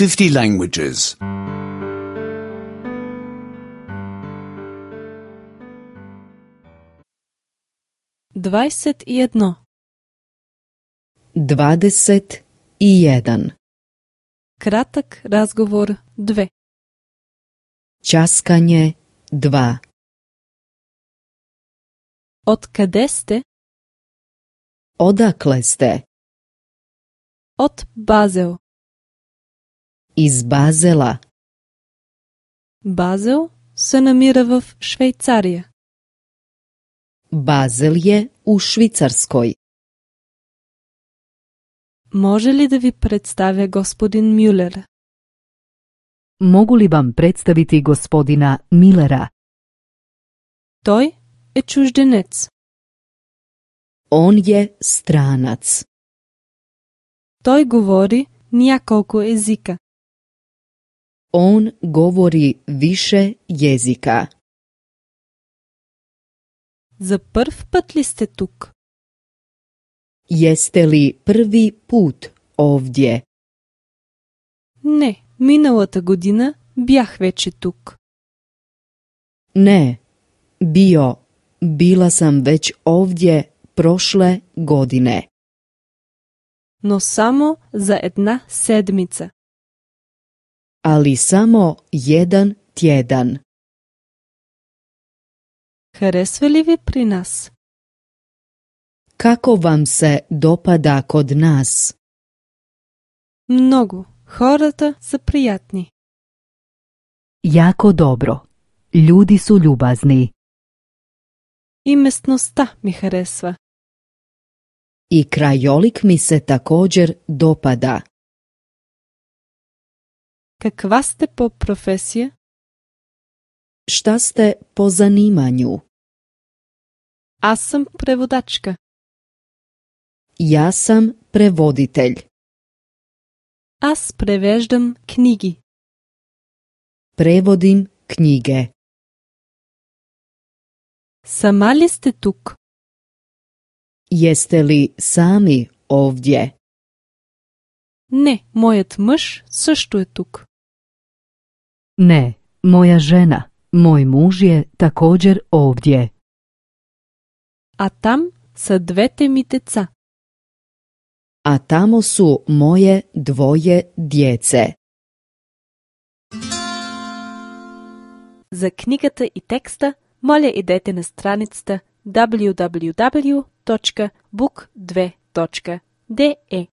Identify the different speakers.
Speaker 1: 50 languages.
Speaker 2: 21.
Speaker 3: 21.
Speaker 2: Кратък разговор 2.
Speaker 3: Časkanje 2.
Speaker 2: Откъде сте?
Speaker 3: Odakle ste?
Speaker 2: От Базел.
Speaker 3: Iz Bazela.
Speaker 2: Базел се намира в Швейцария.
Speaker 3: Bazel je u Švicarskoj.
Speaker 2: Може ли да ви представя господин Мюлер?
Speaker 4: Mogu li vam predstaviti gospodina Millera?
Speaker 2: Той е чужденец.
Speaker 3: On je stranac.
Speaker 2: Той говори няколко езика.
Speaker 3: On govori više jezika.
Speaker 2: За първ път ли сте тук?
Speaker 3: Jeste li prvi put ovdje?
Speaker 2: Не, миналата година бях вече тук.
Speaker 3: Ne, bila sam već ovdje prošle godine.
Speaker 2: Но само за една седмица.
Speaker 3: Ali samo jedan tjedan.
Speaker 2: Харесва ли ви при нас?
Speaker 3: Kako vam se dopada kod nas?
Speaker 2: Много. Хората са приятни.
Speaker 4: Jako dobro. Ljudi su ljubazni.
Speaker 2: И местността ми харесва.
Speaker 3: I krajolik mi se također dopada.
Speaker 2: Каква сте по професия?
Speaker 3: Šta ste po zanimanju?
Speaker 2: Аз съм преводачка.
Speaker 3: Ja sam prevoditelj.
Speaker 2: Аз превеждам книги.
Speaker 3: Prevodim knjige.
Speaker 2: Сама ли сте тук?
Speaker 3: Jeste li sami ovdje?
Speaker 2: Не, моят мъж също е тук.
Speaker 4: Ne, moja žena, moj muž je također ovdje.
Speaker 2: А там са двете ми деца.
Speaker 3: A tamo su moje dvoje djece.
Speaker 2: За книгата и текста, моля идете на страницата www.book2.de.